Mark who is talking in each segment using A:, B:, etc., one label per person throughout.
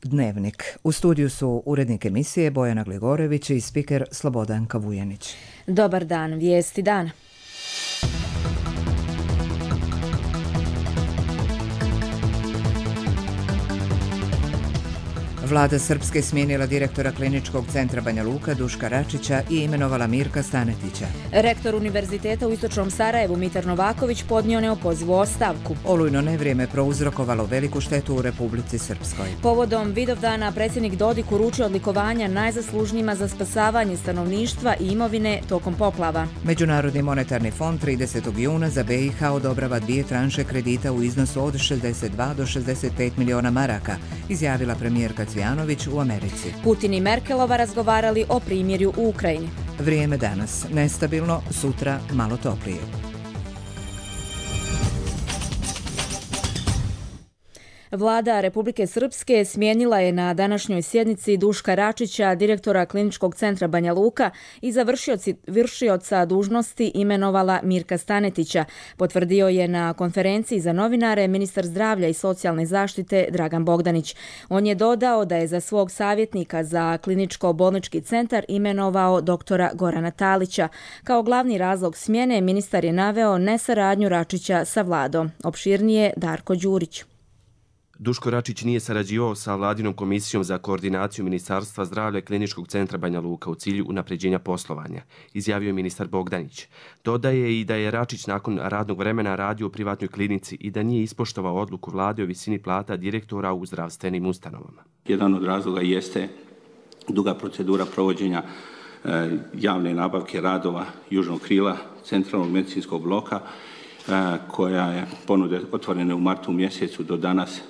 A: Dnevnik. U studiju su urednik emisije Bojana Gligorević i spiker Slobodan Kavujanić.
B: Dobar dan, vijesti dana.
A: Vlada Srpske smijenila direktora Kliničkog centra Banja Luka Duška Račića i imenovala Mirka Stanetića.
B: Rektor Univerziteta u Istočnom Sarajevu Mitar Novaković podnio neopozivu ostavku.
A: Olujno nevrijeme prouzrokovalo veliku štetu u Republici Srpskoj.
B: Povodom Vidovdana predsjednik Dodik uručio odlikovanja najzaslužnijima za spasavanje stanovništva i imovine tokom poplava.
A: Međunarodni monetarni fond 30. juna za BiH odobrava 2 tranše kredita u iznosu od 62 do 65 miliona maraka, izjavila premijerka Cvjanović u Americi.
B: Putin i Merkelova razgovarali o primirju u Ukrajini.
A: Vrijeme danas nestabilno, sutra malo toplije.
B: Vlada Republike Srpske smijenila je na današnjoj sjednici Duška Račića, direktora Kliničkog centra Banja Luka, i za vršioca dužnosti imenovala Mirka Stanetića, potvrdio je na konferenciji za novinare ministar zdravlja i socijalne zaštite Dragan Bogdanić. On je dodao da je za svog savjetnika za kliničko-bolnički centar imenovao doktora Gorana Talića. Kao glavni razlog smjene ministar je naveo nesaradnju Račića sa vladom. Opširnije Darko Đurić.
C: Duško Račić nije sarađivao sa Vladinom komisijom za koordinaciju Ministarstva zdravlja i Kliničkog centra Banja Luka u cilju unapređenja poslovanja, izjavio je ministar Bogdanić. Dodaje i da je Račić nakon radnog vremena radio u privatnoj klinici i da nije ispoštovao odluku vlade o visini plata direktora u zdravstvenim ustanovama.
D: Jedan od razloga jeste duga procedura provođenja javne nabavke radova južnog krila centralnog medicinskog bloka, koja je ponude otvorene u martu mjesecu, do danas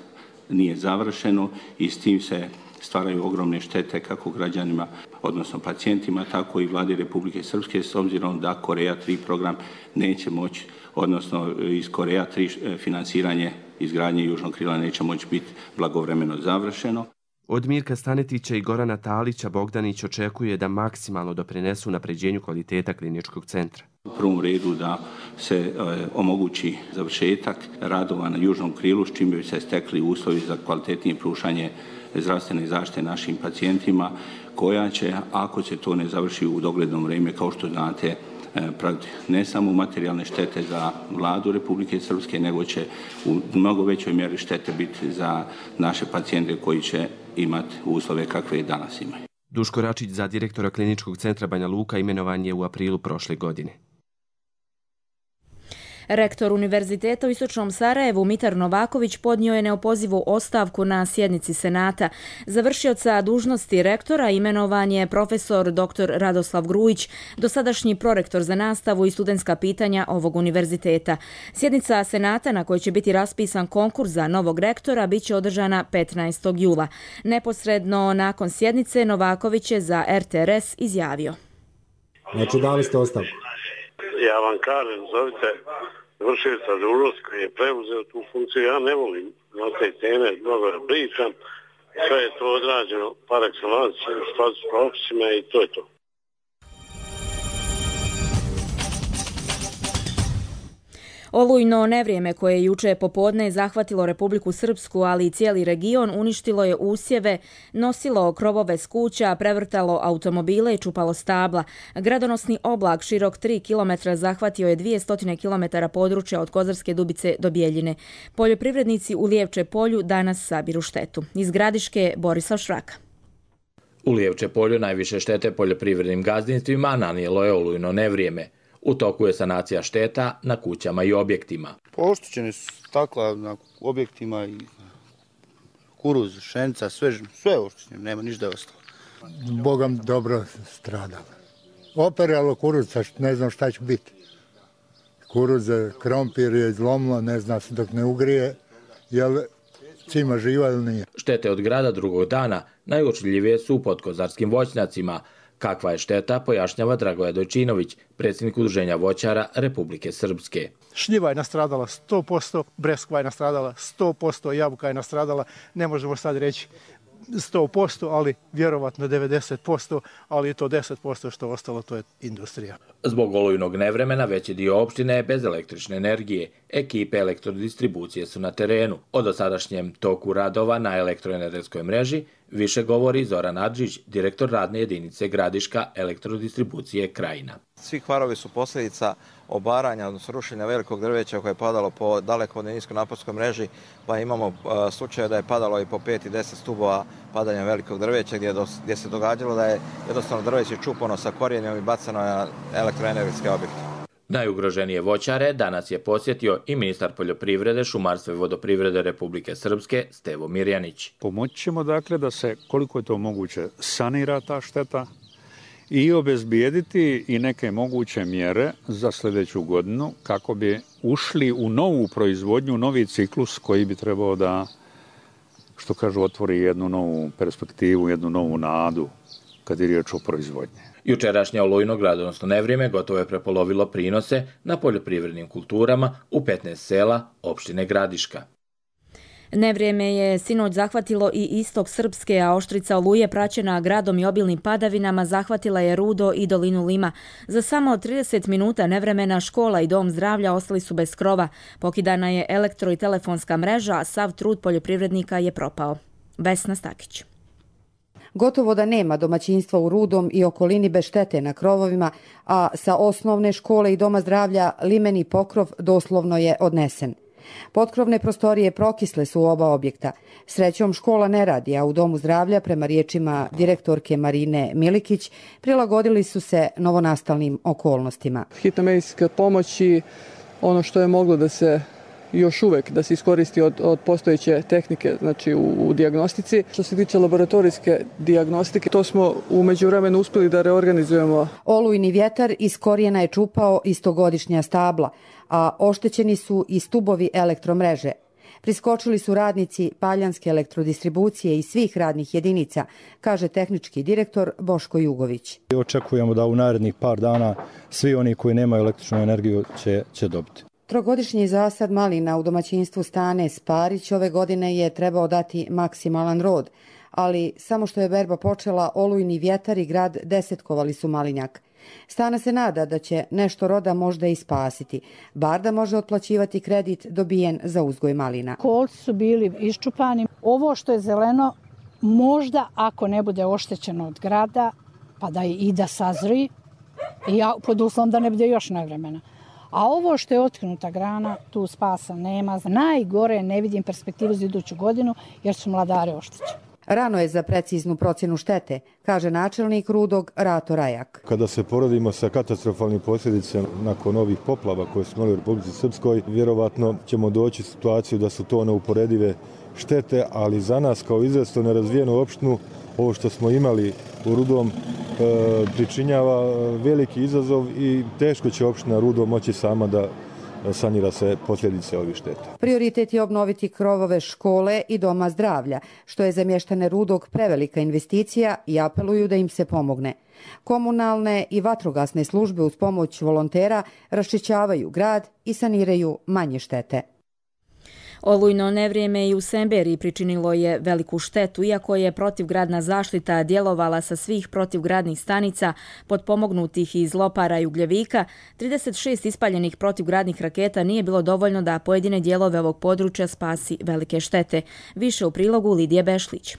D: nije završeno i s tim se stvaraju ogromne štete kako građanima, odnosno pacijentima, tako i vladi Republike Srpske, s obzirom da Koreja 3 program neće moći, odnosno iz Koreja 3 financiranje izgradnje južnog krila neće moći biti blagovremeno završeno.
C: Od Mirka Stanetića i Gorana Talića Bogdanić očekuje da maksimalno doprinesu unapređenju kvaliteta kliničkog centra.
D: U prvom redu da se omogući završetak radova na južnom krilu, s čim bi se stekli uslovi za kvalitetnije pružanje zdravstvene zaštite našim pacijentima, koja će, ako se to ne završi u dogledno vrijeme, kao što znate, ne samo materijalne štete za vladu Republike Srpske, nego će u mnogo većoj mjeri štete biti za naše pacijente koji će imati uslove kakve i danas imaju.
C: Duško Račić za direktora Kliničkog centra Banja Luka imenovan je u aprilu prošle godine.
B: Rektor Univerziteta u Istočnom Sarajevu Mitar Novaković podnio je neopozivu ostavku na sjednici Senata. Za vršioca dužnosti rektora imenovan je profesor dr. Radoslav Grujić, dosadašnji prorektor za nastavu i studentska pitanja ovog univerziteta. Sjednica Senata, na kojoj će biti raspisan konkurs za novog rektora, bit će održana 15. jula. Neposredno nakon sjednice Novaković je za RTRS izjavio:
E: Znači, dali ste ostavku?
F: Ja vam kažem, zovite vršioca dužnosti koji je preuzeo tu funkciju. Ja ne volim na te teme mnogo da pričam. Sve je to odrađeno par excellence, u skladu s propisima i to je to.
B: Olujno nevrijeme koje je juče popodne zahvatilo Republiku Srpsku, ali i cijeli region, uništilo je usjeve, nosilo krovove s kuća, prevrtalo automobile i čupalo stabla. Gradonosni oblak širok 3 km zahvatio je 200 km područja od Kozarske Dubice do Bjeljine. Poljoprivrednici u Lijevče polju danas sabiru štetu. Iz Gradiške Borislav Šraka.
G: U Lijevče polju najviše štete poljoprivrednim gazdinstvima nanijelo je olujno nevrijeme. U toku je sanacija šteta na kućama i objektima.
H: Oštećene su stakla na objektima i kuruz, šenica, sve je oštećeno, nema ništa je ostalo.
I: Bogam dobro stradalo. Operalo kuruz, ne znam šta će biti. Kuruz, krompir je izlomilo, ne zna se dok ne ugrije, jel cima živa ili nije.
G: Štete od grada drugog dana najuočljivije su u podkozarskim voćnjacima. Kakva je šteta, pojašnjava Dragoje Dojčinović, predsjednik Udruženja voćara Republike Srpske.
J: Šljiva je nastradala 100%, breskva je nastradala 100%, jabuka je nastradala. Ne možemo sad reći 100%, ali vjerovatno 90%, ali je to 10% što ostalo, to je industrija.
G: Zbog olujnog nevremena veći dio opštine je bez električne energije. Ekipe elektrodistribucije su na terenu. O dosadašnjem toku radova na elektroenergetskoj mreži više govori Zoran Adžić, direktor radne jedinice Gradiška elektrodistribucije Krajina.
K: Svi kvarovi su posljedica obaranja, odnosno rušenja velikog drveća koje je padalo po dalekovodnoj niskonaponskoj mreži, pa imamo slučaje da je padalo i po 5 i 10 stubova padanja velikog drveća gdje se događalo da je jednostavno drveće čupano sa korijenjem i bacano na elektroenergetske objekte.
G: Najugroženije voćare danas je posjetio i ministar poljoprivrede, šumarstva i vodoprivrede Republike Srpske Stevo Mirjanić.
L: Pomoći ćemo dakle da se koliko je to moguće sanira ta šteta i obezbijediti i neke moguće mjere za sljedeću godinu kako bi ušli u novu proizvodnju, novi ciklus koji bi trebao da, što kažu, otvori jednu novu perspektivu, jednu novu nadu kad je riječ o proizvodnji.
G: Jučerašnje olujno gradonosno nevrijeme gotovo je prepolovilo prinose na poljoprivrednim kulturama u 15 sela opštine Gradiška.
B: Nevrijeme je sinoć zahvatilo i istok Srpske, a oštrica oluje praćena gradom i obilnim padavinama zahvatila je Rudo i dolinu Lima. Za samo 30 minuta nevremena škola i dom zdravlja ostali su bez krova. Pokidana je elektro- i telefonska mreža, a sav trud poljoprivrednika je propao. Vesna Stakić.
M: Gotovo da nema domaćinstva u Rudom i okolini bez štete na krovovima, a sa osnovne škole i doma zdravlja limeni pokrov doslovno je odnesen. Potkrovne prostorije prokisle su u oba objekta. Srećom škola ne radi, a u domu zdravlja, prema riječima direktorke Marine Milikić, prilagodili su se novonastalnim okolnostima.
N: Hitna medicinska pomoć i ono što je moglo da se još uvek da se iskoristi od postojeće tehnike, znači u dijagnostici. Što se tiče laboratorijske dijagnostike, to smo u međuvremenu uspjeli da reorganizujemo.
M: Olujni vjetar iz korijena je čupao istogodišnja stabla, a oštećeni su i stubovi elektromreže. Priskočili su radnici Paljanske elektrodistribucije i svih radnih jedinica, kaže tehnički direktor Boško Jugović.
O: Očekujemo da u narednih par dana svi oni koji nemaju električnu energiju će dobiti.
M: Trogodišnji zasad malina u domaćinstvu Stane Sparić ove godine je trebao dati maksimalan rod, ali samo što je berba počela, olujni vjetar i grad desetkovali su malinjak. Stana se nada da će nešto roda možda i spasiti, bar da može otplaćivati kredit dobijen za uzgoj malina.
P: Kolci su bili iščupani. Ovo što je zeleno, možda ako ne bude oštećeno od grada, pa da i da sazri, pod uslovom da ne bude još nevremena. A ovo što je otknuta grana, tu spasa nema. Najgore ne vidim perspektivu za iduću godinu jer su mladare oštećeni.
M: Rano je za preciznu procjenu štete, kaže načelnik Rudog Rato Rajak.
O: Kada se poredimo sa katastrofalnim posljedicama nakon ovih poplava koje smo imali u Republici Srpskoj, vjerovatno ćemo doći u situaciju da su to neuporedive štete, ali za nas kao izrazito nerazvijenu opštinu ovo što smo imali u Rudom pričinjava veliki izazov i teško će opština Rudo moći sama da sanira se posljedice ovih šteta.
M: Prioritet je obnoviti krovove škole i doma zdravlja, što je za mještane Rudog prevelika investicija i apeluju da im se pomogne. Komunalne i vatrogasne službe uz pomoć volontera raščišćavaju grad i saniraju manje štete.
B: Olujno nevrijeme i u Semberiji pričinilo je veliku štetu, iako je protivgradna zaštita djelovala sa svih protivgradnih stanica potpomognutih iz Lopara i Ugljevika. 36 ispaljenih protivgradnih raketa nije bilo dovoljno da pojedine dijelove ovog područja spasi velike štete. Više u prilogu Lidije Bešlić.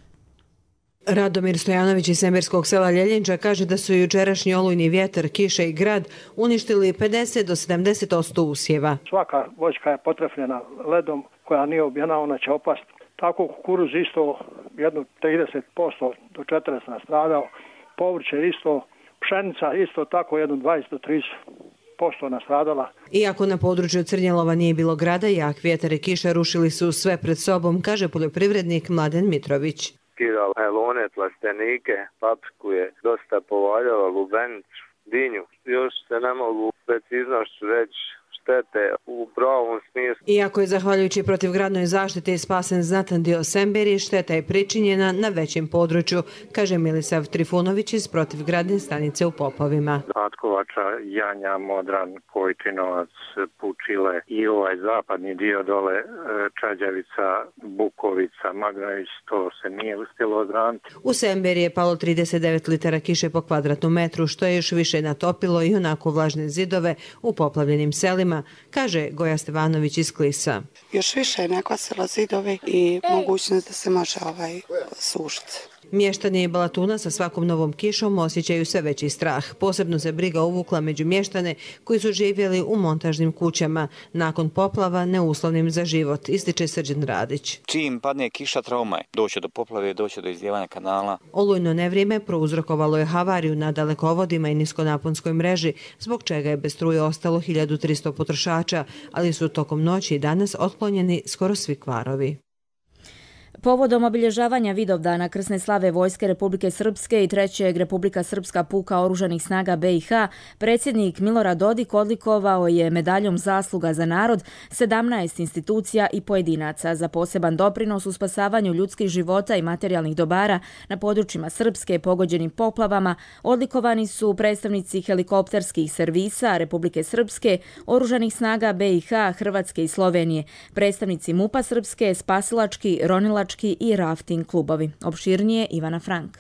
Q: Radomir Stojanović iz semberskog sela Ljeljenča kaže da su jučerašnji olujni vjetar, kiša i grad uništili 50 do 70% usjeva.
R: Svaka voćka je potrefljena ledom koja nije ubijena, ona će opast. Tako kukuruz isto jedno 30% do 40% nastradao, povrće isto, pšenica isto tako jedno 20 do 30% nastradala.
Q: Iako na području Crnjelova nije bilo grada, jak vjetar i kiša rušili su sve pred sobom, kaže poljoprivrednik Mladen Mitrović.
S: Skidala melone, plastenike, papriku je dosta povaljala, lubenicu, dinju. Još se ne mogu preciznošću reći štete u pravom smislu.
Q: Iako je zahvaljujući protivgradnoj zaštiti spasen znatan dio Semberije, šteta je pričinjena na većem području, kaže Milisav Trifunović iz protivgradne stanice u Popovima.
T: Atkovača, Janja, Modran, Kojčinovac, Pučile i ovaj zapadni dio dole Čađavica, Bukovica, Magnović, to se nije uspjelo odraniti.
Q: U Semberiji je palo 39 litara kiše po kvadratnom metru, što je još više natopilo i onako vlažne zidove u poplavljenim selima, kaže Goja Stevanović iz Klisa.
U: Još više je nekvasila zidovi i mogućnost da se može sušiti.
Q: Mještani Balatuna sa svakom novom kišom osjećaju sve veći strah. Posebno se briga uvukla među mještane koji su živjeli u montažnim kućama. Nakon poplava neuslovnim za život, ističe Srđan Radić.
V: Čim padne kiša, trauma je. Doće do poplave, doće do izlijevanja kanala.
Q: Olujno nevrijeme prouzrokovalo je havariju na dalekovodima i niskonaponskoj mreži, zbog čega je bez struje ostalo 1300 potrošača, ali su tokom noći i danas otklonjeni skoro svi kvarovi.
B: Povodom obilježavanja Vidovdana krsne slave Vojske Republike Srpske i 3. Republika Srpska puka oružanih snaga BiH, predsjednik Milorad Dodik odlikovao je medaljom zasluga za narod 17 institucija i pojedinaca za poseban doprinos u spasavanju ljudskih života i materijalnih dobara na područjima Srpske pogođenim poplavama. Odlikovani su predstavnici helikopterskih servisa Republike Srpske, oružanih snaga BiH, Hrvatske i Slovenije, predstavnici MUP-a Srpske, spasilački, ronilački i rafting klubovi. Opširnije Ivana Frank.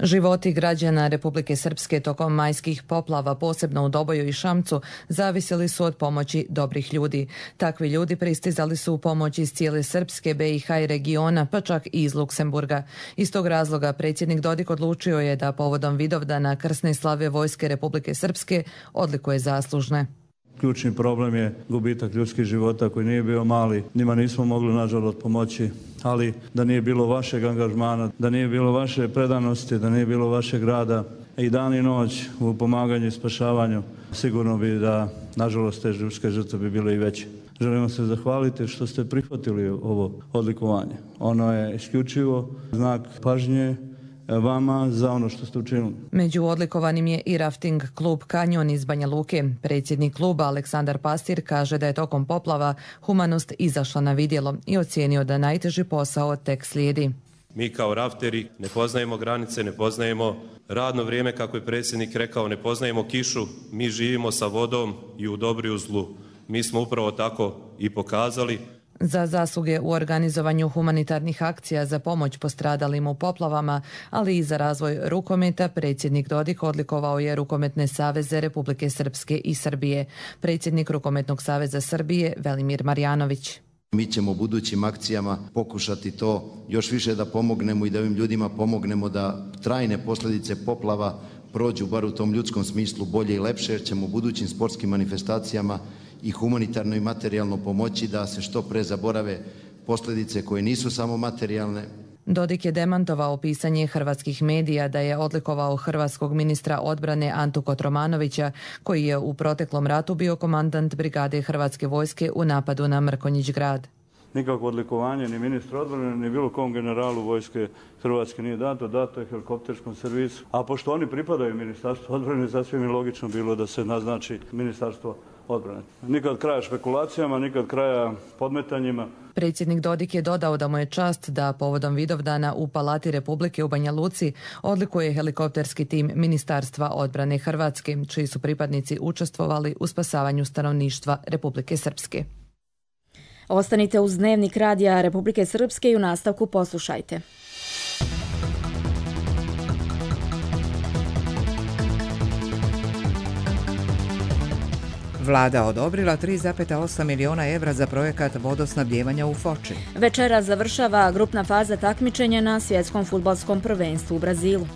W: Životi građana Republike Srpske tokom majskih poplava, posebno u Doboju i Šamcu, zavisili su od pomoći dobrih ljudi. Takvi ljudi pristizali su u pomoć iz cijele Srpske, BiH i regiona, pa čak i iz Luksemburga. Iz tog razloga predsjednik Dodik odlučio je da povodom Vidovdana krsne slave Vojske Republike Srpske odlikuje zaslužne.
X: Ključni problem je gubitak ljudskih života koji nije bio mali. Njima nismo mogli nažalost pomoći, ali da nije bilo vašeg angažmana, da nije bilo vaše predanosti, da nije bilo vašeg rada i dan i noć u pomaganju i spašavanju, sigurno bi da nažalost te ljudske žrtve bi bile i veće. Želimo se zahvaliti što ste prihvatili ovo odlikovanje. Ono je isključivo znak pažnje vama za ono što ste učinili.
W: Među odlikovanim je i rafting klub Kanjon iz Banja Luke. Predsjednik kluba Aleksandar Pastir kaže da je tokom poplava humanost izašla na vidjelo i ocijenio da najteži posao tek slijedi.
Y: Mi kao rafteri ne poznajemo granice, ne poznajemo radno vrijeme, kako je predsjednik rekao, ne poznajemo kišu, mi živimo sa vodom i u dobru i u zlu. Mi smo upravo tako i pokazali.
W: Za zasluge u organizovanju humanitarnih akcija za pomoć postradalim u poplavama, ali i za razvoj rukometa, predsjednik Dodik odlikovao je Rukometne saveze Republike Srpske i Srbije. Predsjednik Rukometnog saveza Srbije Velimir Marjanović.
Z: Mi ćemo u budućim akcijama pokušati to još više da pomognemo i da ovim ljudima pomognemo da trajne posljedice poplava prođu bar u tom ljudskom smislu bolje i lepše, jer ćemo u budućim sportskim manifestacijama i humanitarno i materijalno pomoći da se što pre zaborave posljedice koje nisu samo materijalne.
W: Dodik je demantovao pisanje hrvatskih medija da je odlikovao hrvatskog ministra odbrane Antu Kotromanovića, koji je u proteklom ratu bio komandant brigade Hrvatske vojske u napadu na Mrkonjić grad.
X: Nikakvo odlikovanje ni ministra odbrane, ni bilo kom generalu vojske Hrvatske nije dato je helikopterskom servisu. A pošto oni pripadaju ministarstvu odbrane, sasvim je logično bilo da se naznači ministarstvo odbrane. Nikad kraja špekulacijama, nikad kraja podmetanjima.
W: Predsjednik Dodik je dodao da mu je čast da povodom Vidovdana u Palati Republike u Banja Luci odlikuje helikopterski tim Ministarstva odbrane Hrvatske, čiji su pripadnici učestvovali u spasavanju stanovništva Republike Srpske.
B: Ostanite uz Dnevnik radija Republike Srpske i u nastavku poslušajte.
A: Vlada odobrila 3,8 miliona evra za projekat vodosnabdijevanja u Foči.
B: Večera završava grupna faza takmičenja na svjetskom fudbalskom prvenstvu u Brazilu.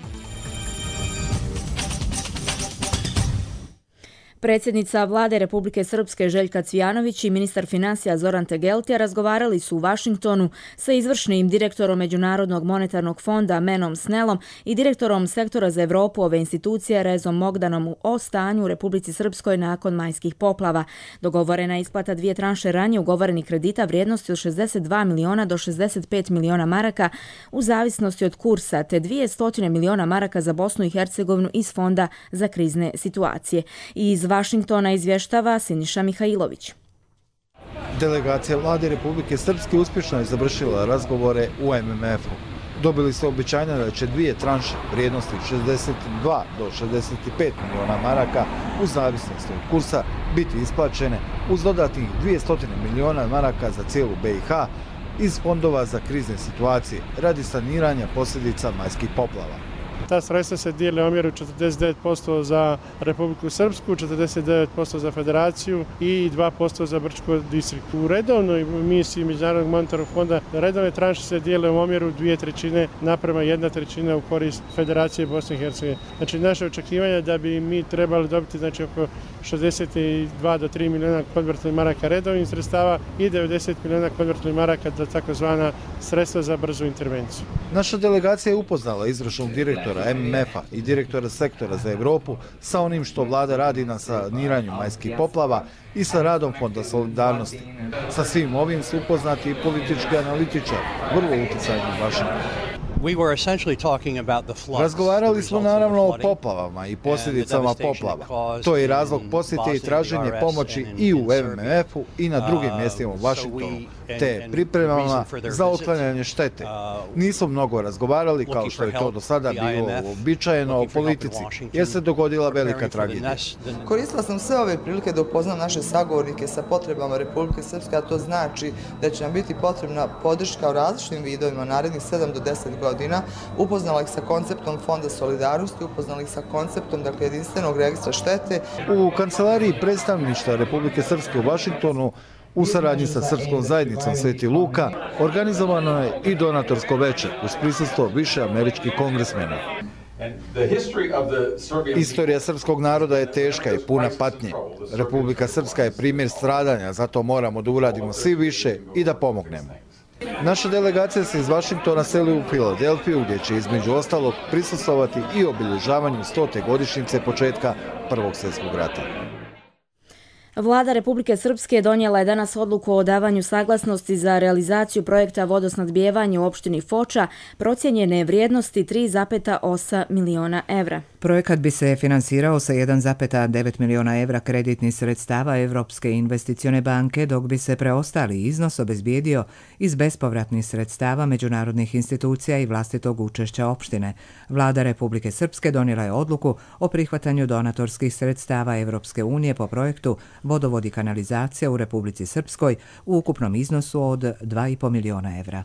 B: Predsjednica Vlade Republike Srpske Željka Cvijanović i ministar financija Zoran Tegeltija razgovarali su u Vašingtonu sa izvršnim direktorom Međunarodnog monetarnog fonda Menom Snellom i direktorom sektora za Evropu ove institucije Rezom Mogdanom o stanju u Republici Srpskoj nakon majskih poplava. Dogovorena isplata 2 tranše ranije ugovorenih kredita vrijednosti od 62 miliona do 65 miliona maraka u zavisnosti od kursa, te 200 miliona maraka za Bosnu i Hercegovinu iz Fonda za krizne situacije. I iz Vašingtona izvještava Siniša Mihajlović.
C: Delegacija vlade Republike Srpske uspješno je završila razgovore u MMF-u. Dobili su obećanja da će 2 tranše vrijednosti 62 do 65 miliona maraka u zavisnosti od kursa biti isplaćene uz dodatnih 200 miliona maraka za cijelu BiH iz fondova za krizne situacije radi saniranja posljedica majskih poplava.
D: Ta sredstva se dijele u omjeru 49% za Republiku Srpsku, 49% za Federaciju i 2% za Brčko distrikt. U redovnoj misiji Međunarodnog monetarnog fonda redovne tranše se dijele u omjeru 2/3 naprema 1/3 u korist Federacije Bosne i Hercegovine. Znači naše očekivanje da bi mi trebali dobiti oko 62 do 3 miliona konvertibilnih maraka redovnih sredstava i 90 miliona konvertibilnih maraka za takozvana sredstva za brzu intervenciju.
C: Naša delegacija je upoznala izvršnog direktora MMF-a i direktora sektora za Evropu sa onim što vlada radi na saniranju majskih poplava i sa radom Fonda solidarnosti. Sa svim ovim su upoznati i politički analitičari, vrlo utjecajni u Vašingtonu. Razgovarali smo naravno o poplavama i posljedicama poplava. To je razlog posjete i traženje pomoći i u MMF-u i na drugim mjestima u Vašingtonu, te pripremama za otklanjanje štete. Nismo mnogo razgovarali kao što je to do sada bilo uobičajeno o politici, jer se dogodila velika tragedija.
E: Koristila sam sve ove prilike da upoznam naše sagovornike sa potrebama Republike Srpske, a to znači da će nam biti potrebna podrška u različitim vidovima narednih 7 do 10 godina. Upoznala ih sa konceptom Fonda solidarnosti, upoznala ih sa konceptom jedinstvenog registra štete.
C: U kancelariji predstavništva Republike Srpske u Vašingtonu u saradnji sa Srpskom zajednicom Sveti Luka organizovano je i donatorsko veče uz prisustvo više američkih kongresmena. Istorija srpskog naroda je teška i puna patnje. Republika Srpska je primjer stradanja, zato moramo da uradimo svi više i da pomognemo. Naša delegacija se iz Vašingtona seli u Filadelfiju, gdje će između ostalog prisustvovati i obilježavanju 100. godišnjice početka Prvog svjetskog rata.
B: Vlada Republike Srpske donijela je danas odluku o davanju saglasnosti za realizaciju projekta vodosnadbijevanja u opštini Foča procijenjene vrijednosti 3,8 miliona evra.
A: Projekat bi se finansirao sa 1,9 miliona evra kreditnih sredstava Evropske investicione banke, dok bi se preostali iznos obezbijedio iz bespovratnih sredstava međunarodnih institucija i vlastitog učešća opštine. Vlada Republike Srpske donijela je odluku o prihvatanju donatorskih sredstava Evropske unije po projektu Vodovod i kanalizacija u Republici Srpskoj u ukupnom iznosu od 2,5 miliona evra.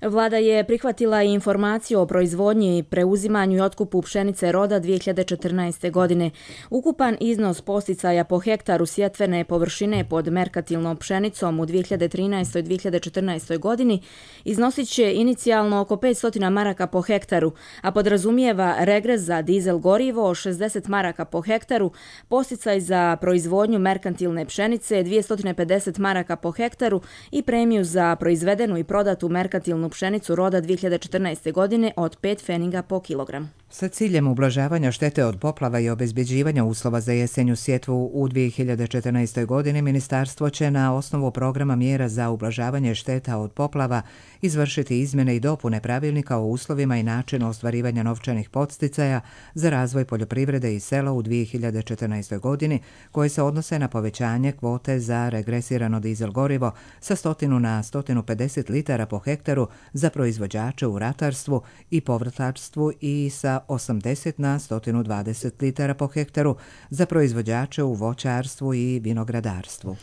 B: Vlada je prihvatila i informaciju o proizvodnji, preuzimanju i otkupu pšenice roda 2014. godine. Ukupan iznos posticaja po hektaru sjetvene površine pod merkatilnom pšenicom u 2013. i 2014. godini iznosit će inicijalno oko 500 maraka po hektaru, a podrazumijeva regres za dizel gorivo 60 maraka po hektaru, posticaj za proizvodnju merkantilne pšenice 250 maraka po hektaru i premiju za proizvedenu i prodatu merkantilnu pšenicu roda 2014. godine od 5 pfeniga po kilogram.
A: Sa ciljem ublažavanja štete od poplava i obezbjeđivanja uslova za jesenju sjetvu u 2014. godini, ministarstvo će na osnovu programa mjera za ublažavanje šteta od poplava izvršiti izmjene i dopune pravilnika o uslovima i načinu ostvarivanja novčanih podsticaja za razvoj poljoprivrede i sela u 2014. godini, koje se odnose na povećanje kvote za regresirano dizel gorivo sa 100 na 150 litara po hektaru za proizvođače u ratarstvu i povrtlarstvu i sa 80 na 120 litara po hektaru za proizvođače u voćarstvu i vinogradarstvu.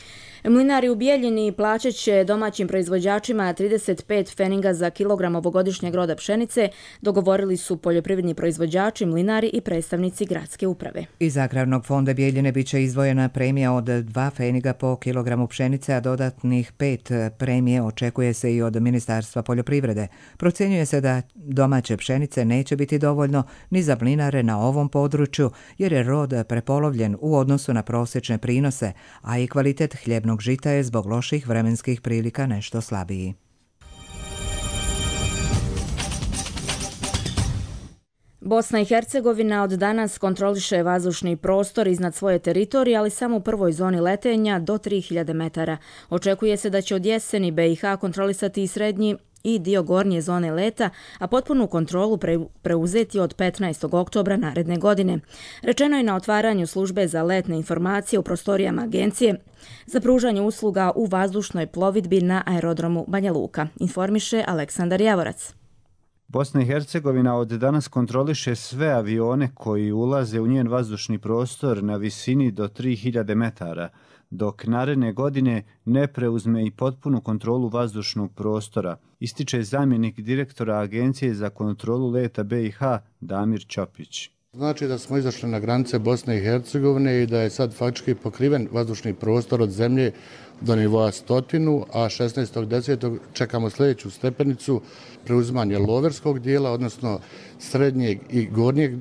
B: Mlinari u Bijeljini plaćat će domaćim proizvođačima 35 pfeniga za kilogram ovogodišnjeg roda pšenice, dogovorili su poljoprivredni proizvođači, mlinari i predstavnici gradske uprave.
A: Iz Agrarnog fonda Bijeljine biće izdvojena premija od 2 pfeniga po kilogramu pšenice, a dodatnih 5 premije očekuje se i od Ministarstva poljoprivrede. Procjenjuje se da domaće pšenice neće biti dovoljno ni za mlinare na ovom području, jer je rod prepolovljen u odnosu na prosječne prinose, a i kvalitet hljebnog žita je zbog loših vremenskih prilika nešto slabiji.
B: Bosna i Hercegovina od danas kontroliše vazdušni prostor iznad svoje teritorije, ali samo u prvoj zoni letenja do 3000 metara. Očekuje se da će od jeseni BiH kontrolisati i srednji i dio gornje zone leta, a potpunu kontrolu preuzeti od 15. oktobra naredne godine. Rečeno je na otvaranju službe za letne informacije u prostorijama agencije za pružanje usluga u vazdušnoj plovidbi na aerodromu Banja Luka, informiše Aleksandar Javorac.
F: Bosna i Hercegovina od danas kontroliše sve avione koji ulaze u njen vazdušni prostor na visini do 3000 metara, dok naredne godine ne preuzme i potpunu kontrolu vazdušnog prostora, ističe zamjenik direktora Agencije za kontrolu leta BiH Damir Ćopić.
H: Znači da smo izašli na granice Bosne i Hercegovine i da je sad faktički pokriven vazdušni prostor od zemlje do nivoa 100, a 16.10. čekamo sljedeću stepenicu, preuzimanje loverskog dijela, odnosno srednjeg i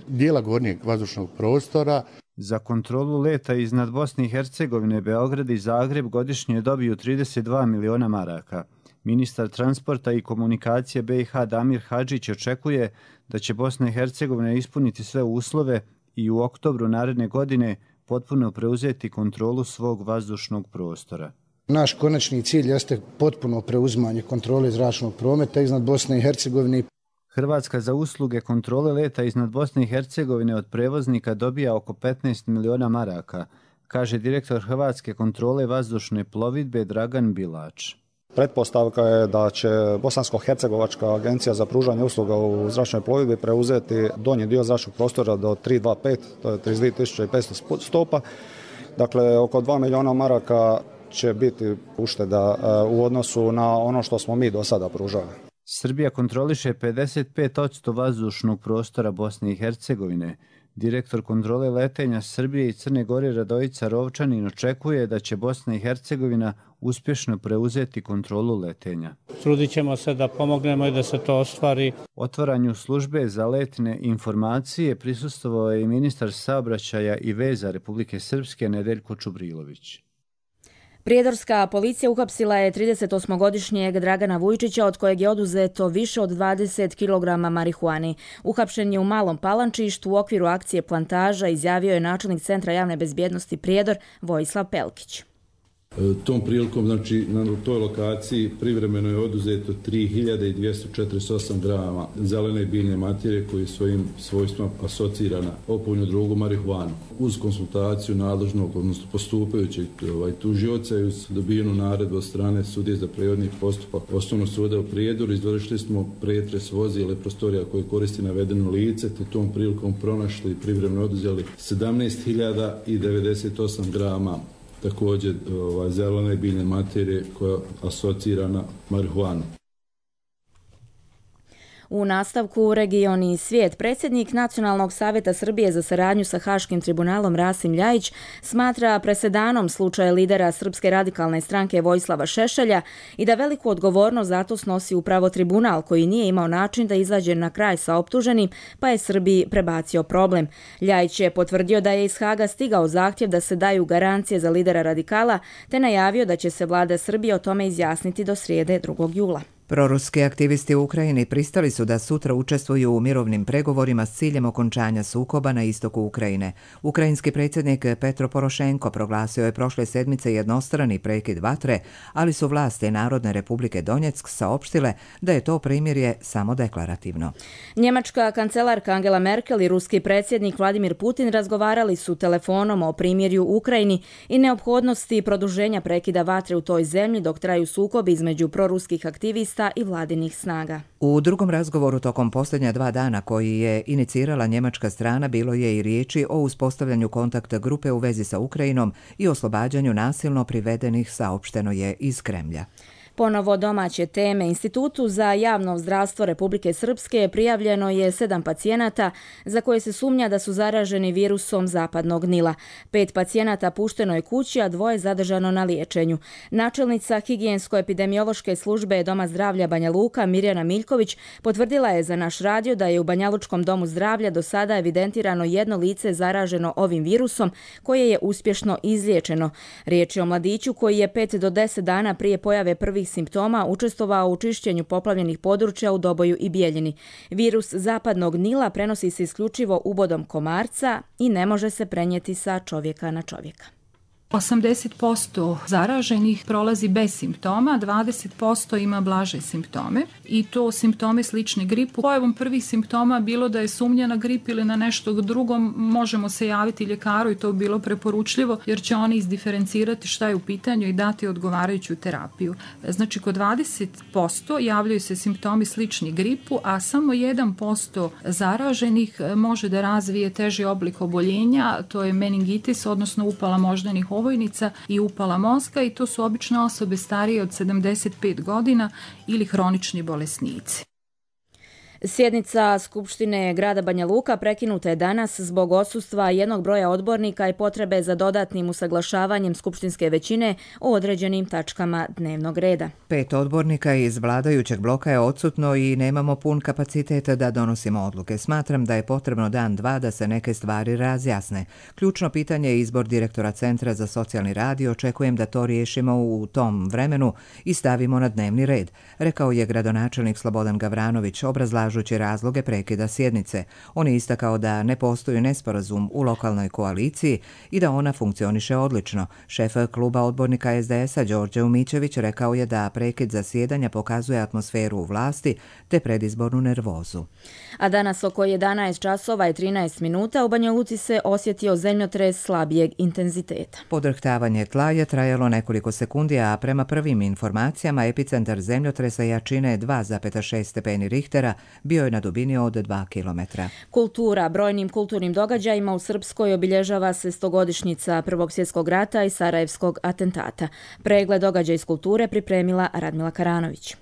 H: dijela gornjeg vazdušnog prostora.
F: Za kontrolu leta iznad Bosne i Hercegovine Beograd i Zagreb godišnje dobiju 32 miliona maraka. Ministar transporta i komunikacije BiH Damir Hadžić očekuje da će Bosna i Hercegovina ispuniti sve uslove i u oktobru naredne godine potpuno preuzeti kontrolu svog vazdušnog prostora.
I: Naš konačni cilj jeste potpuno preuzimanje kontrole zračnog prometa iznad Bosne i Hercegovine.
F: Hrvatska za usluge kontrole leta iznad Bosne i Hercegovine od prevoznika dobija oko 15 miliona maraka, kaže direktor Hrvatske kontrole vazdušne plovidbe Dragan Bilač.
J: Pretpostavka je da će Bosansko-hercegovačka agencija za pružanje usluga u zračnoj plovidbi preuzeti donji dio zračnog prostora do 325, to je 32.500 stopa. Dakle, oko 2 miliona maraka će biti ušteda u odnosu na ono što smo mi do sada pružali.
F: Srbija kontroliše 55% vazdušnog prostora Bosne i Hercegovine. Direktor kontrole letenja Srbije i Crne Gore Radojica Rovčanin očekuje da će Bosna i Hercegovina uspješno preuzeti kontrolu letenja.
K: Trudit ćemo se da pomognemo i da se to ostvari.
F: Otvaranju službe za letne informacije prisustvovao je i ministar saobraćaja i veza Republike Srpske Nedeljko Čubrilović.
B: Prijedorska policija uhapsila je 38-godišnjeg Dragana Vujčića, od kojeg je oduzeto više od 20 kg marihuani. Uhapšen je u Malom Palančištu u okviru akcije Plantaža, izjavio je načelnik Centra javne bezbjednosti Prijedor Vojislav Pelkić.
L: Tom prilikom, znači, na toj lokaciji privremeno je oduzeto 3248 grama zelene biljne materije koje svojim svojstvima asocira na opojnu drogu marihuanu. Uz konsultaciju nadležnog, odnosno postupajućeg tužioca i uz dobijenu naredbu od strane sudije za prevodni postupak Osnovnog suda u Prijedoru izvršili smo pretres vozila i prostorija koje koristi navedeno lice, te tom prilikom pronašli i privremeno oduzeli 17.098 grama također zelene biljne materije koja asocira na marihuanu.
B: U nastavku Region i svijet, predsjednik Nacionalnog savjeta Srbije za saradnju sa Haškim tribunalom Rasim Ljajić smatra presedanom slučaja lidera Srpske radikalne stranke Vojislava Šešelja i da veliku odgovornost za to snosi upravo tribunal koji nije imao način da izađe na kraj sa optuženim, pa je Srbiji prebacio problem. Ljajić je potvrdio da je iz Haga stigao zahtjev da se daju garancije za lidera radikala, te najavio da će se vlada Srbije o tome izjasniti do srijede 2. jula.
A: Proruski aktivisti u Ukrajini pristali su da sutra učestvuju u mirovnim pregovorima s ciljem okončanja sukoba na istoku Ukrajine. Ukrajinski predsjednik Petro Porošenko proglasio je prošle sedmice jednostrani prekid vatre, ali su vlasti Narodne republike Donjeck saopštile da je to primirje samo deklarativno.
B: Njemačka kancelarka Angela Merkel i ruski predsjednik Vladimir Putin razgovarali su telefonom o primirju u Ukrajini i neophodnosti produženja prekida vatre u toj zemlji dok traju sukobi između proruskih aktivista i vladinih snaga.
A: U drugom razgovoru tokom posljednja 2 dana koji je inicirala njemačka strana bilo je i riječi o uspostavljanju kontakt grupe u vezi sa Ukrajinom i oslobađanju nasilno privedenih, saopšteno je iz Kremlja.
B: Ponovo domaće teme. Institutu za javno zdravstvo Republike Srpske prijavljeno je 7 pacijenata za koje se sumnja da su zaraženi virusom zapadnog Nila. 5 pacijenata pušteno je kući, a 2 zadržano na liječenju. Načelnica higijensko-epidemiološke službe Doma zdravlja Banja Luka Mirjana Miljković potvrdila je za naš radio da je u Banjalučkom domu zdravlja do sada evidentirano 1 lice zaraženo ovim virusom koje je uspješno izliječeno. Riječ je o mladiću koji je 5 do 10 dana prije pojave prvih simptoma učestvovao u čišćenju poplavljenih područja u Doboju i Bijeljini. Virus zapadnog Nila prenosi se isključivo ubodom komarca i ne može se prenijeti sa čovjeka na čovjeka.
G: 80% zaraženih prolazi bez simptoma, 20% ima blaže simptome i to simptome slične gripu. Pojavom prvih simptoma bilo da je sumnja na grip ili na nešto drugo, možemo se javiti ljekaru i to bi bilo preporučljivo jer će oni izdiferencirati šta je u pitanju i dati odgovarajuću terapiju. Znači kod 20% javljaju se simptomi slični gripu, a samo 1% zaraženih može da razvije teži oblik oboljenja, to je meningitis, odnosno upala moždanih ovojnica i upala mozga i to su obično osobe starije od 75 godina ili hronični bolesnici.
B: Sjednica Skupštine grada Banja Luka prekinuta je danas zbog odsustva jednog broja odbornika i potrebe za dodatnim usaglašavanjem skupštinske većine o određenim tačkama dnevnog reda.
A: 5 odbornika iz vladajućeg bloka je odsutno i nemamo pun kapacitet da donosimo odluke. Smatram da je potrebno dan, dva da se neke stvari razjasne. Ključno pitanje je izbor direktora Centra za socijalni rad i očekujem da to riješimo u tom vremenu i stavimo na dnevni red, rekao je gradonačelnik Slobodan Gavranović, obrazlažući razloge prekida sjednice. On je istakao da ne postoji nesporazum u lokalnoj koaliciji i da ona funkcioniše odlično. Šef kluba odbornika SDS-a Đorđe Umićević rekao je da prekid zasjedanja pokazuje atmosferu u vlasti te predizbornu nervozu.
B: A danas oko 11 časova i 13 minuta u Banja Luci se osjetio zemljotres slabijeg intenziteta.
A: Podrhtavanje tla je trajalo nekoliko sekundi, a prema prvim informacijama epicentar zemljotresa jačine 2,6 stepeni Richtera bio je na dubini od 2 km.
B: Kultura. Brojnim kulturnim događajima u Srpskoj obilježava se 100-godišnjica Prvog svjetskog rata i Sarajevskog atentata. Pregled događaja iz kulture pripremila Radmila Karanović.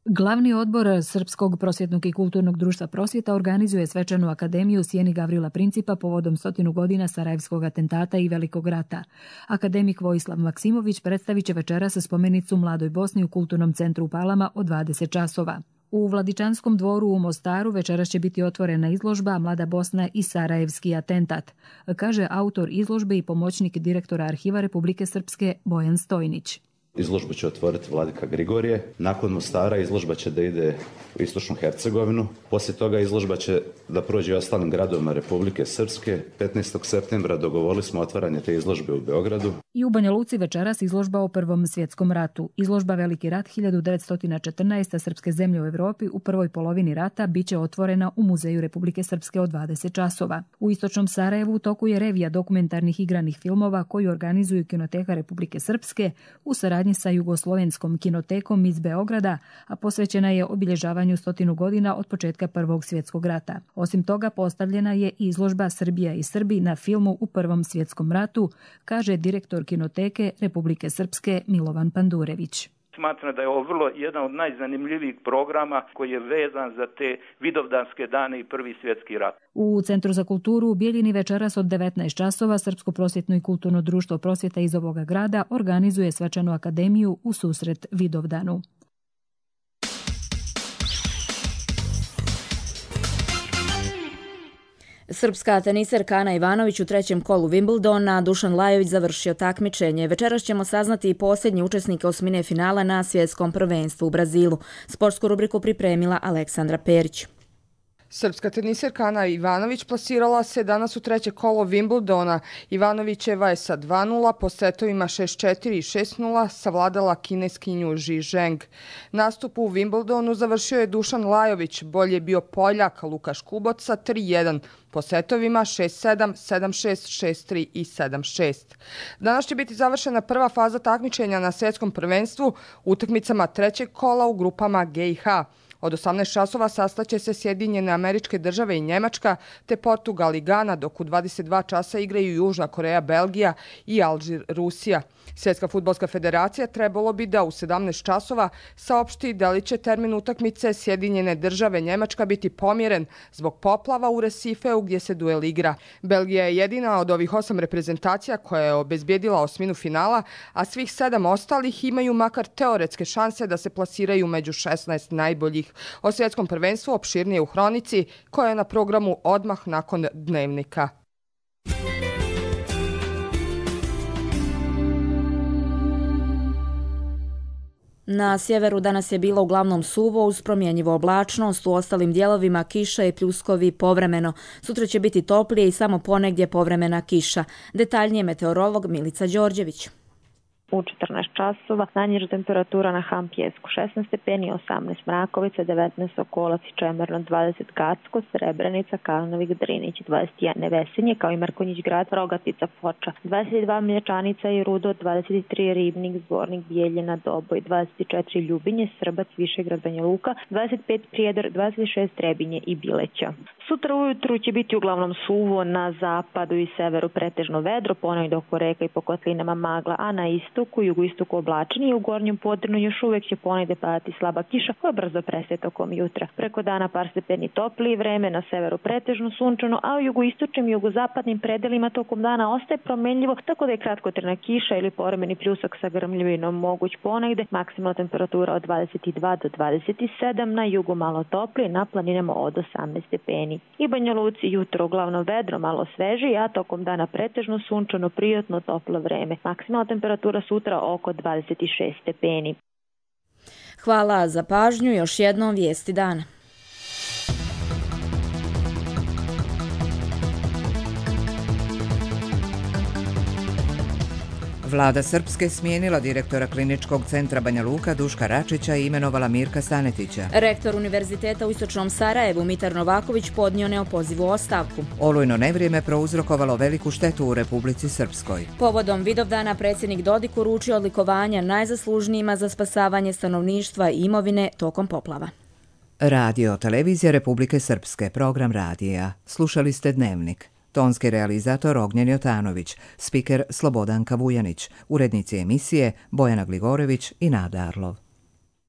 M: Glavni odbor Srpskog prosvjetnog i kulturnog društva Prosvjeta organizuje svečanu akademiju u sjeni Gavrila Principa povodom 100 godina Sarajevskog atentata i Velikog rata. Akademik Vojislav Maksimović predstavit će večeras spomenicu Mladoj Bosni u Kulturnom centru u Palama od 20 časova. U Vladičanskom dvoru u Mostaru večeras će biti otvorena izložba Mlada Bosna i Sarajevski atentat, kaže autor izložbe i pomoćnik direktora Arhiva Republike Srpske Bojan Stojnić.
N: Izložbu će otvoriti Vladika Grigorije. Nakon Mostara izložba će da ide u Istočnu Hercegovinu. Poslije toga izložba će da prođe ostalim gradovima Republike Srpske. 15. septembra dogovorili smo otvaranje te izložbe u Beogradu.
M: I u Banja Luci večeras izložba o Prvom svjetskom ratu. Izložba Veliki rat 1914. Srpske zemlje u Evropi u prvoj polovini rata biće otvorena u Muzeju Republike Srpske od 20 časova. U Istočnom Sarajevu u toku je revija dokumentarnih igranih filmova koju organizuju Kinoteka Republike Srpske u saradnji sa Jugoslovenskom kinotekom iz Beograda, a posvećena je obilježavanju 100 godina od početka Prvog svjetskog rata. Osim toga, postavljena je izložba Srbija i Srbi na filmu u Prvom svjetskom ratu, kaže direktor Kinoteke Republike Srpske Milovan Pandurević.
O: Smatram da je ovo vrlo jedan od najzanimljivijih programa koji je vezan za te vidovdanske dane i Prvi svjetski rat.
M: U Centru za kulturu u Bijeljini večeras od 19 časova Srpsko prosvjetno i kulturno društvo Prosvjeta iz ovoga grada organizuje svečanu akademiju u susret Vidovdanu.
B: Srpska teniserka Ana Ivanović u trećem kolu Wimbledona, Dušan Lajović završio takmičenje. Večeras ćemo saznati i posljednji učesnike osmine finala na svjetskom prvenstvu u Brazilu. Sportsku rubriku pripremila Aleksandra Perić.
P: Srpska teniserka Ana Ivanović plasirala se danas u treće kolo Wimbledona. Ivanovićeva je sa 2-0 po setovima 6-4 i 6-0 savladala kineskinju Ji Zheng. Nastup u Wimbledonu završio je Dušan Lajović, bolje je bio Poljak Lukaš Kubot sa 3-1 po setovima 6-7, 7-6, 6-3 i 7-6. Danas će biti završena prva faza takmičenja na svjetskom prvenstvu utakmicama trećeg kola u grupama G i H. Od 18 časova sastaće se Sjedinjene Američke Države i Njemačka, te Portugal i Gana, dok u 22 časa igraju Južna Koreja, Belgija i Alžir, Rusija. Svjetska fudbalska federacija trebalo bi da u 17 časova saopšti da li će termin utakmice Sjedinjene Države Njemačka biti pomjeren zbog poplava u Resifeu gdje se duel igra. Belgija je jedina od ovih 8 reprezentacija koja je obezbijedila osminu finala, a svih 7 ostalih imaju makar teoretske šanse da se plasiraju među 16 najboljih. O svjetskom prvenstvu opširnije u Hronici, koja je na programu odmah nakon Dnevnika.
B: Na sjeveru danas je bilo uglavnom suvo uz promjenjivu oblačnost, u ostalim dijelovima kiša i pljuskovi povremeno. Sutra će biti toplije i samo ponegdje povremena kiša. Detaljnije meteorolog Milica Đorđević.
Q: U 14 časova najniža temperatura na Hampjesku 16 stepeni, 18 Mrakovica, 19 Okolac i Čemerno, 20 Gacko, Srebrenica, Kalnovik, Drinić, 21 Nevesinje, kao i Mrkonjić grad, Rogatica, Foča, 22 Mlječanica i Rudo, 23 Ribnik, Zvornik, Bijeljina, Doboj, 24 Ljubinje, Srbac, Višegrad, Banja Luka, 25 Prijedor, 26 Trebinje i Bileća. Sutra ujutru će biti uglavnom suvo, na zapadu i severu pretežno vedro, ponegdje oko reka i po kotlinama magla, a na istoku, jugoistoku oblačenje i u gornjem Podrinju još uvijek će ponegdje padati slaba kiša koja brzo prestaje tokom jutra. Preko dana par stepeni toplije vreme, na severu pretežno sunčano, a u jugoistočnim i jugozapadnim predelima tokom dana ostaje promenljivo, tako da je kratkotrajna kiša ili povremeni pljusak sa grmljavinom moguć ponegdje. Maksimalna temperatura od 22 do 27, na jugu malo toplije, na planinama od 18 stepeni. I Banja Luci jutro uglavnom vedro, malo sveži, a tokom dana pretežno sunčano, prijatno toplo vreme. Maksimalna temperatura sutra oko 26 stepeni.
B: Hvala za pažnju, još jednom vijesti dana.
A: Vlada Srpske smijenila direktora Kliničkog centra Banja Luka Duška Račića i imenovala Mirka Stanetića.
B: Rektor Univerziteta u Istočnom Sarajevu Mitar Novaković podnio neopozivu ostavku.
A: Olujno nevrijeme prouzrokovalo veliku štetu u Republici Srpskoj.
B: Povodom Vidovdana predsjednik Dodik uručio odlikovanja najzaslužnijima za spasavanje stanovništva i imovine tokom poplava.
A: Radio televizija Republike Srpske, program radija. Slušali ste Dnevnik. Tonski realizator Ognjen Jotanović, spiker Slobodanka Vujanić, urednici emisije Bojana Gligorević i Nada Arlov.